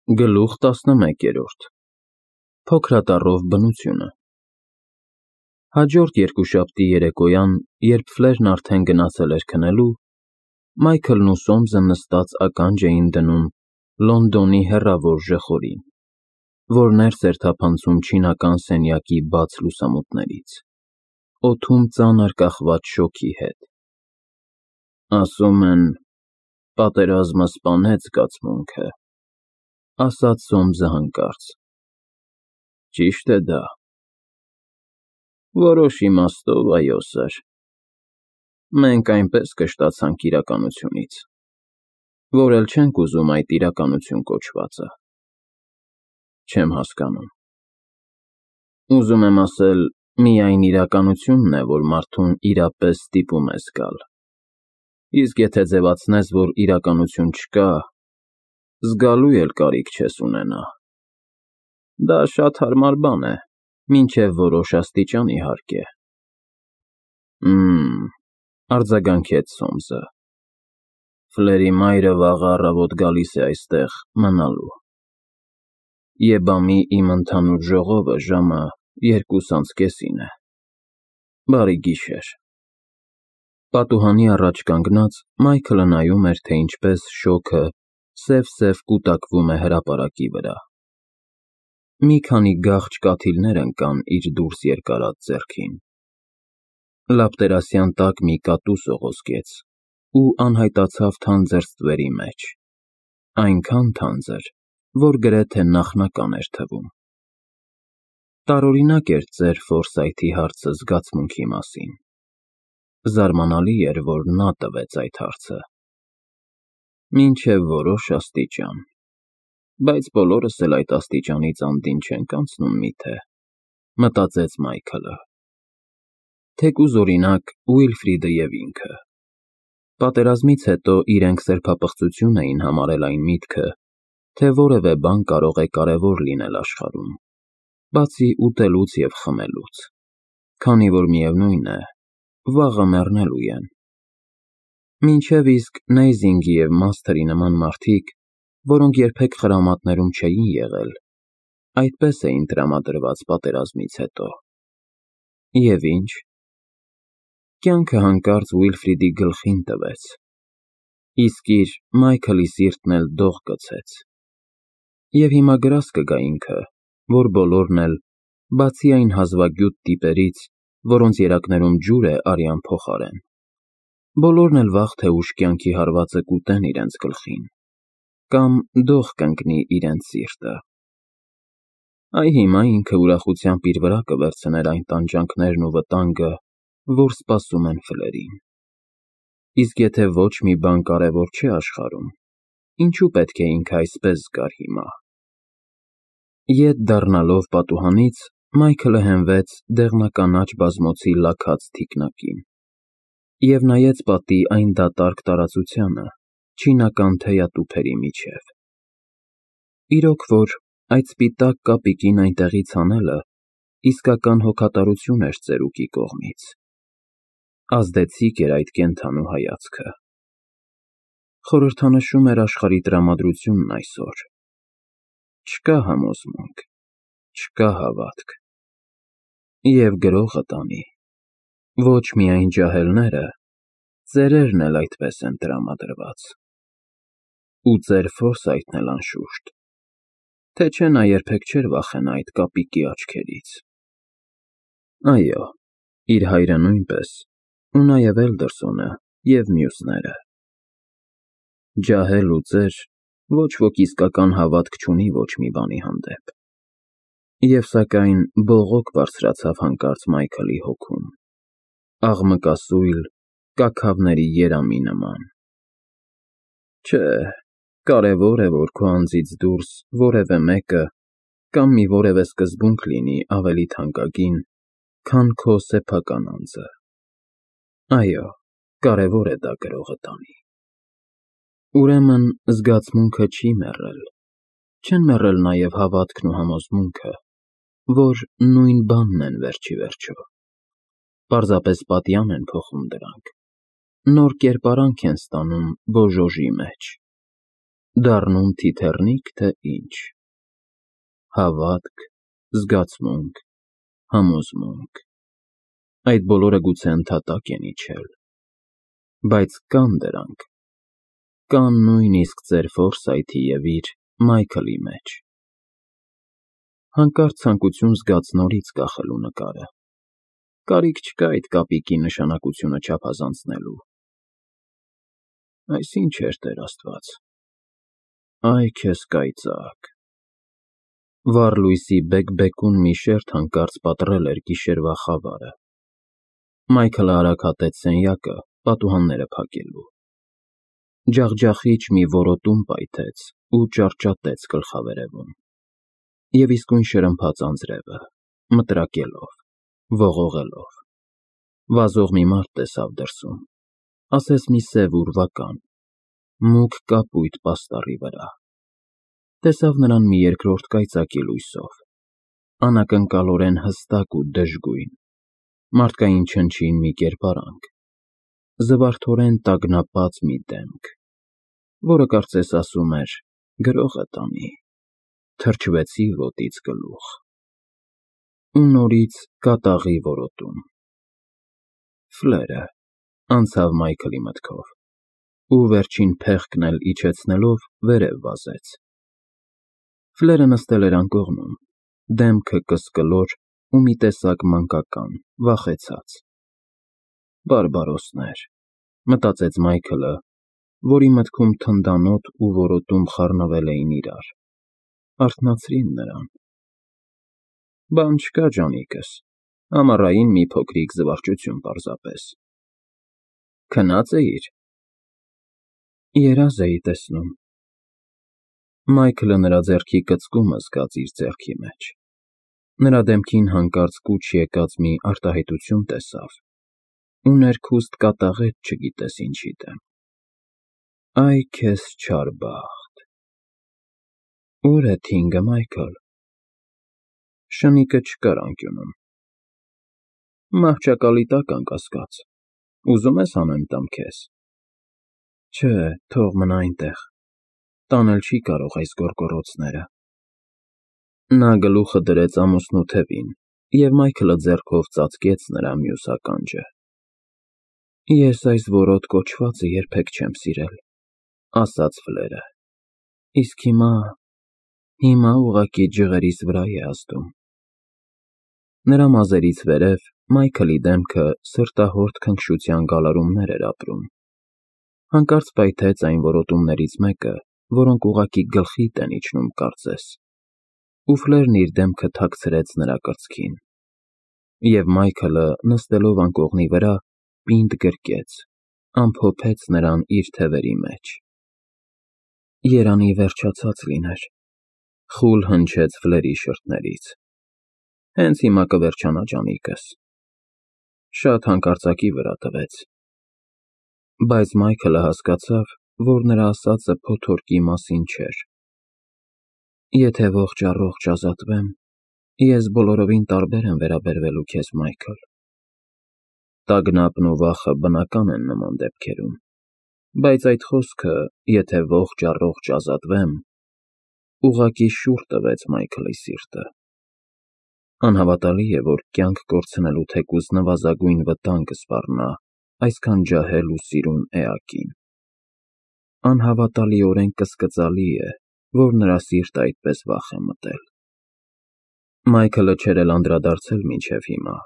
Գլուխ 11 Փոքրատառով բնությունը Հաջորդ երկուշաբթի երեկոյան, երբ Ֆլերն արդեն գնացել էր քնելու, Մայքլն ու Սոմսը նստած ականջ էին դնում Լոնդոնի հեռավոր ժխորին, որ ներս էր թափանցում չինական սենյակի բաց լուսամուտներից, օդում ծանր կախված շոգի հետ։ «Ասում են, պատերազմը սպանեց զգացմունքը», ասաց Սոմսը հանկարծ։ «Ճիշտ է դա»։ «Որոշ իմաստով, այո, սըր։ Մենք այնպես կշտացանք իրականությունից, որ էլ չենք ուզում այդ իրականություն կոչվածը»։ «Չեմ հասկանում»։ «Ուզում եմ ասել, միայն իրականությունն է, որ մարդուն իրապես ստիպում է զգալ, իսկ եթե ձևացնես, որ իրականություն չկա, զգալու էլ կարիք չես ունենա։ Դա շատ հարմար բան է, մինչև որոշ աստիճան, իհարկե»։ Արձագանքեց Սոմսը։ «Ֆլերի մայրը վաղը առավոտ գալիս է այստեղ մնալու։ Եբամի իմ ընդհանուր ժողովը ժամը 2:30 է։ Բարի գիշեր»։ Պատուհանի առաջ կանգնած Մայքլը նայում էր, թե ինչպես շոգը սև-սև կուտակվում է հրապարակի վրա։ Մի քանի գաղջ կաթիլներ ընկան իր դուրս երկարած ձեռքին։ Լապտերասյան տակ մի կատու սողոսկեց ու անհայտացավ թանձր ստվերի մեջ, այնքան թանձր, որ գրեթե նախնական էր թվում։ Տարօրինակ էր ծեր Ֆորսայթի հարցը զգացմունքի մասին։ Զարմանալի էր, որ նա տվեց այդ հարցը։ Մինչև որոշ աստիճան, բայց բոլորս էլ այդ աստիճանից անդին չենք անցնում միթե, մտածեց Մայքլը։ Թեկուզ, օրինակ, Ուիլֆրիդը և ինքը։ Պատերազմից հետո իրենք սրբապղծություն էին համարել այն միտքը, թե որևէ բան կարող է կարևոր լինել աշխարհում, բացի ուտելուց և խմելուց, քանի որ միևնույն է, վաղը մեռնելու են։ Մինչև իսկ Նեյզինգի և Մասթերի նման մարդիկ, որոնք երբեք խրամատներում չէին եղել, այդպես էին տրամադրված պատերազմից հետո։ Եվ ինչ։ Կյանքը հանկարծ Ուիլֆրիդի գլխին տվեց, իսկ իր Մայքլի սիրտն էլ դող գցեց։ Եվ հիմա գրազ կգա ինքը, որ բոլորն էլ, բացի այն հազվագյուտ տիպերից, որոնց երակներում ջուր է արյան փոխարեն, բոլորն էլ վաղ թե ուշ կյանքի հարվածը կուտեն իրենց գլխին, կամ դող կընկնի իրենց սիրտը։ Այ հիմա ինքը ուրախությամբ իր վրա կվերցներ այն տանջանքներն ու վտանգը, որ սպասում են Ֆլերին։ Իսկ եթե ոչ մի բան կարևոր չէ աշխարհում, ինչու պետք է ինքը այսպես զգար հիմա։ Ետ դառնալով պատուհանից, Մայքլը հենվեց դեղնականաչ բազմոցի լաքած թիկնակին և նայեց պատի այն դատարկ տարածությանը, չինական թեյատուփերի միջև։ Իրոք որ, այդ սպիտակ կապիկին այնտեղից հանելը իսկական հոգատարություն էր ծերուկի կողմից։ Ազդեցիկ էր այդ կենդանու հայացքը։ Խորհրդանշում էր աշխարհի տրամադրությունն այսօր։ Չկա համոզմունք, չկա հավատք։ Եվ գրողը տանի, ոչ միայն ջահելները, ծերերն էլ այդպես են տրամադրված։ Ու ծեր Ֆորսայթն էլ անշուշտ, թե չէ նա երբեք չէր վախենա այդ կապիկի աչքերից։ Այո, իր հայրը նույնպես, ու նաև Էլդերսոնը և մյուսները։ Ջահել ու ծեր, ոչ ոք իսկական հավատք չունի ոչ մի բանի հանդեպ։ Եվ սակայն բողոք բարձրացավ հանկարծ Մայքլի հոգում, աղմկասույլ կաքավների երամի նման։ Չէ, կարևոր է, որ քո անձից դուրս որևէ մեկը կամ մի որևէ սկզբունք լինի ավելի թանկագին, քան քո սեփական անձը։ Այո, կարևոր է դա գրողը տանի։ Ուրեմն զգացմունքը չի մեռել, չեն մեռել նաև հավատքն ու համոզմունքը, որ նույն բանն են վերջիվերջո։ Պարզապես պատյան են փոխում դրանք, նոր կերպարանք են ստանում բոժոժի մեջ։ Դառնում թիթեռնիկ, թե ինչ, հավատք, զգացմունք, համոզմունք, այդ բոլորը գուցե ընդհատակ են իջել, բայց կան դրանք, կան նույնիսկ ձեր Ֆորսայթի և իր Մայքլի մեջ։ Հանկարծ ցանկություն զգաց նորից կախելու նկարը, կարիք չկա այդ կապիկի նշանակությունը չափազանցնելու։ Այս ինչ էր, Տեր Աստված, այ քեզ կայծակ։ Վառ լույսի բեկ-բեկուն մի շերջ հանկարծ պատռել էր գիշերվա խավարը։ Մայքլը արագ հատեց սենյակը, պատուհանները փակելու։ Ջախջախիչ մի որոտում պայթեց ու ճարճատեց գլխավերևում։ Եվ իսկույն շրմփաց անձրևը, մտրակելով, ողողելով։ Վազող մի մարդ տեսավ դրսում, ասես մի սև ուրվական, մուգ կապույտ պաստառի վրա։ Տեսավ նրան մի երկրորդ կայծակի լույսով, անակնկալորեն հստակ ու դժգույն, մարդկային չնչին մի կերպարանք, զվարթորեն տագնապած մի դեմք, որը կարծես ասում էր. «Գրողը տանի»։ Թրջվեցի ոտից գլուխ։ Ու նորից կատաղի որոտում։ Ֆլերը, անցավ Մայքլի մտքով, ու վերջին փեղկն էլ իջեցնելով վերև վազեց։ Ֆլերը նստել էր անկողնում, դեմքը կսկլոր ու մի տեսակ մանկական, վախեցած։ Բարբարոսներ, մտածեց Մայքլը, որի մտքում թնդանոթ ու որոտում խառնվել էին իրար, արթնացրին նրան։ Բան չկա, ջանիկս, ամառային մի փոքրիկ զվարճություն պարզապես։ Քնած էիր։ Երազ էի տեսնում։ Մայքլը նրա ձեռքի կծկումը զգաց իր ձեռքի մեջ։ Նրա դեմքին հանկարծ կուչ եկած մի արտահայտություն տեսավ ու ներքուստ կատաղեց չգիտես ինչի դեմ։ Այ քեզ չար բախտ։ Ո՞ւր է թինգը, Մայքլ։ Շնիկը չկար անկյունում։ Մահճակալի տակ, անկասկած, ուզում ես հանեմ տամ քեզ։ Չէ, թող մնա այնտեղ, տանել չի կարող այս գոռգոռոցները։ Նա գլուխը դրեց ամուսնու թևին, և Մայքլը ձեռքով ծածկեց նրա մյուս ականջը։ Ես այս որոտ կոչվածը երբեք չեմ սիրել, ասաց Ֆլերը, իսկ հիմա ուղղակի ջղերիս վրա է ազդում։ Նրա մազերից վերև Մայքլի դեմքը սրտահորտ քնքշության գալարումներ էր ապրում։ Հանկարծ պայթեց այն որոտումներից մեկը, որոնք ուղղակի գլխիդ են իջնում կարծես, ու Ֆլերն իր դեմքը թաքցրեց նրա կրծքին, և Մայքլը, նստելով անկողնի վրա, պինդ գրկեց, ամփոփեց նրան իր թևերի մեջ։ Երանի վերջացած լիներ, խուլ հնչեց Ֆլերի շրթներից։ Հենց հիմա կվերջանա, ջանիկս։ Շատ հանկարծակի վրա տվեց։ Բայց Մայքլը հասկացավ, որ նրա ասածը փոթորկի մասին չէր։ Եթե ողջ-առողջ ազատվեմ, ես բոլորովին տարբեր եմ վերաբերվելու քեզ, Մայքլ։ Տագնապն ու վախը բնական են նման դեպքերում, բայց այդ խոսքը, եթե ողջ-առողջ ազատվեմ, ուղղակի շուռ տվեց Մայքլի սիրտը։ Անհավատալի է, որ կյանք կորցնելու թեկուզ նվազագույն վտանգ կսպառնա այսքան ջահել ու սիրուն էակին։ Անհավատալիորեն կսկծալի է, որ նրա սիրտը այդպես վախ է մտել։ Մայքլը չէր էլ անդրադարձել մինչև հիմա,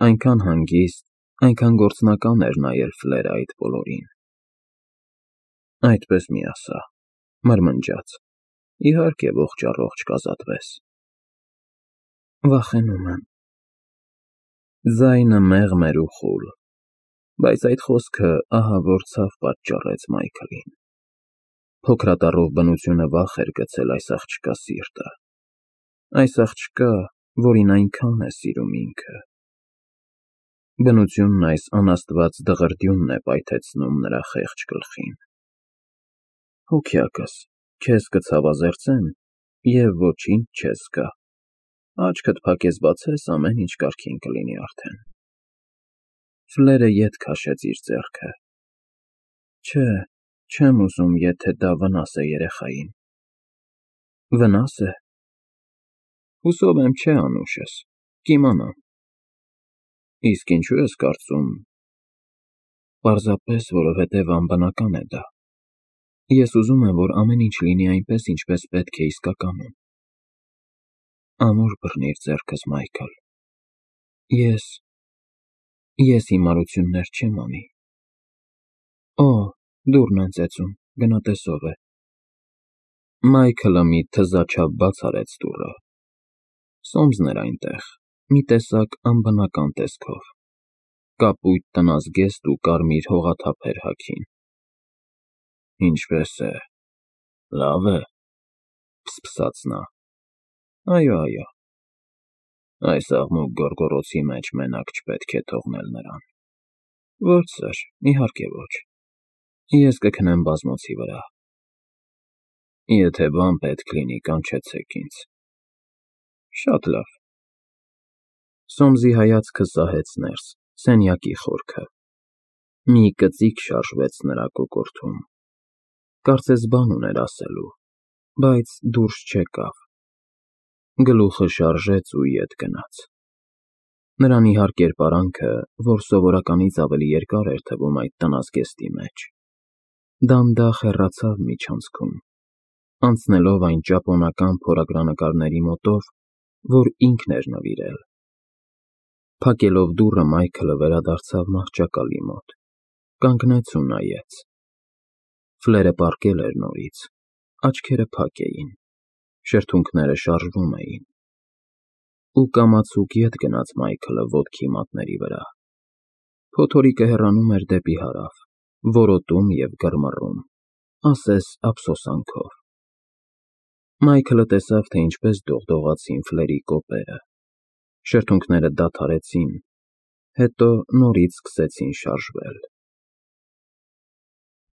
այնքան հանգիստ, այնքան գործնական էր նայել Ֆլերը այդ բոլորին։ Այդպես մի ասա, մրմնջաց, իհարկե ողջ-առողջ կազատվես։ Վախենում եմ։ Ձայնը մեղմ էր ու խուլ, բայց այդ խոսքը ահա որ ցավ պատճառեց Մայքլին։ Փոքրատառով բնությունը վախ էր գցել այս աղջկա սիրտը, այս աղջկա, որին այնքան է սիրում ինքը։ Բնությունն այս անաստված դղրդյունն է պայթեցնում նրա խեղճ գլխին։ Հոգյակս, քեզ կցավազերծեմ, և ոչինչ չես զգա։ Աչքդ փակես բացես, ամեն ինչ կարգին կլինի արդեն։ Ֆլերը ետ քաշեց իր ձեռքը։ Չէ, Չեմ ուզում, եթե դա վնաս է երեխային։ Վնաս է։ Հուսով եմ չէ, Անուշս, կիմանամ։ Իսկ ինչու ես կարծում։ Պարզապես, որովհետև անբնական է դա։ Ես ուզում եմ, որ ամեն ինչ լինի այնպես, ինչպես պետք է իսկականում։ Ամուր բռնիր ձեռքս, Մայքլ։ Ես հիմարություններ չեմ անի։ Օ, դուռն են ծեծում, գնա տես ով է։ Մայքլը մի թզաչափ բաց արեց դուռը։ Սոմսն էր այնտեղ, մի տեսակ անբնական տեսքով, կապույտ տնազգեստ ու կարմիր հողաթափեր հագին։ Ինչպե՞ս է, լավ է, փսփսաց նա։ Այո, այս աղմուկ գոռգոռոցի մեջ մենակ չպետք է թողնել նրան։ Ոչ, սըր, իհարկե ոչ։ Ես կքնեմ բազմոցի վրա։ Եթե բան պետք լինի, կանչեցեք ինձ։ Շատ լավ։ Սոմսի հայացքը սահեց ներս, սենյակի խորքը։ Մի կծիկ շարժվեց նրա կոկորդում։ Կարծես բան ուներ ասելու, բայց դուրս չեկավ։ Գլուխը շարժեց ու ետ գնաց։ Նրան իհարկե կերպարանքը, որ սովորականից ավելի երկար էր թվում այդ տնազգեստի մեջ, դանդաղ հեռացավ միջանցքում, անցնելով այն ճապոնական փորագրանկարների մոտով, որ ինքն էր նվիրել։ Փակելով դուռը Մայքլը վերադարձավ մահճակալի մոտ, կանգնեց ու նայեց։ Ֆլերը պառկել էր նորից, աչքերը փակ էին, շրթունքները շարժվում էին։ Ու կամացուկ ետ գնաց Մայքլը ոտքի մատների վրա։ Փոթորիկը հեռանում էր դեպի հարավ, որոտում և գրմռում, ասես ափսոսանքով։ Մայքլը տեսավ, թե ինչպես դողդողացին Ֆլերի կոպերը, շրթունքները դադարեցին, հետո նորից սկսեցին շարժվել։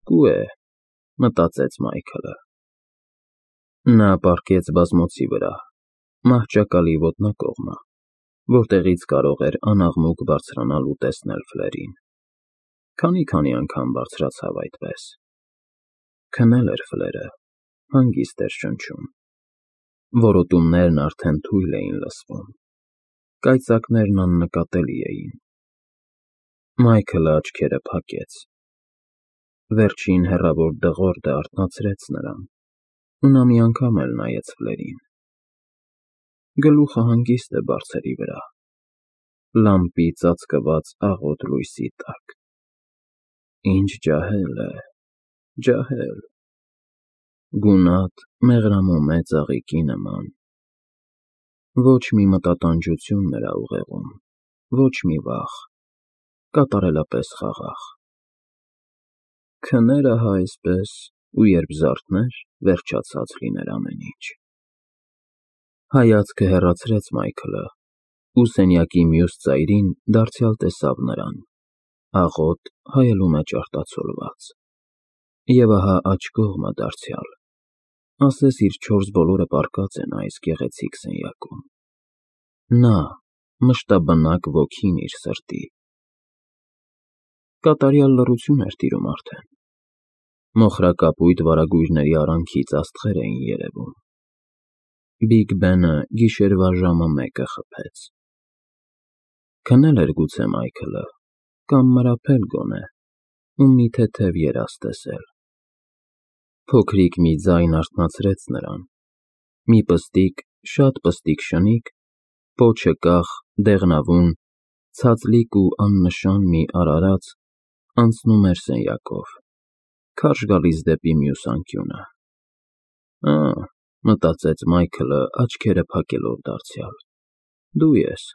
Կու է, մտածեց Մայքլը։ Նա պառկեց բազմոցի վրա, մահճակալի ոտնակողմը, որտեղից կարող էր անաղմուկ բարձրանալ ու տեսնել Ֆլերին։ Քանի անգամ բարձրացավ այդպես։ Քնել էր Ֆլերը, հանգիստ էր շնչում։ Որոտումներն արդեն թույլ էին լսվում։ Կայծակներն աննկատելի էին։ Մայքլը աչքերը փակեց։ Վերջին հեռավոր դղորդը արթնացրեց նրան, ու նա մի անգամ էլ նայեց Ֆլերին։ Գլուխը հանգիստ է բարձերի վրա, լամպի ծածկված աղոտ լույսի տակ։ Ինչ ջահել է, ջահել։ Գունատ, մեղրամոմե ծաղիկի նման։ Ոչ մի մտատանջություն նրա ուղեղում, ոչ մի վախ, կատարելապես խաղաղ։ Քներ ահա այսպես, ու երբ զարթներ, վերջացած լիներ ամեն ինչ։ Հայացքը հեռացրեց Մայքլը, ու սենյակի մյուս ծայրին դարձյալ տեսավ նրան, աղոտ, հայելու մեջ արտացոլված։ Եվ ահա աջ կողմը դարձյալ, ասես իր չորս բոլորը պառկած են այս գեղեցիկ սենյակում։ Նա, մշտաբնակ ոգին իր սրտի։ Կատարյալ լռություն էր տիրում արդեն։ Մոխրակապույտ վարագույրների արանքից աստղեր էին երևում։ Բիգ Բենը գիշերվա ժամը 1-ը խփեց։ Քնել էր գուցե Մայքլը, կամ մրապել գոնե, ու մի թեթև երազ տեսել։ Փոքրիկ մի ձայն արթնացրեց նրան։ Մի պստիկ, շատ պստիկ շնիկ, պոչը կախ, դեղնավուն, ցածլիկ ու աննշան մի արարած անցնում էր սենյակով, քարշ գալիս դեպի մյուս անկյունը։ Մտածեց Մայքլը, աչքերը փակելով դարձյալ, դու ես։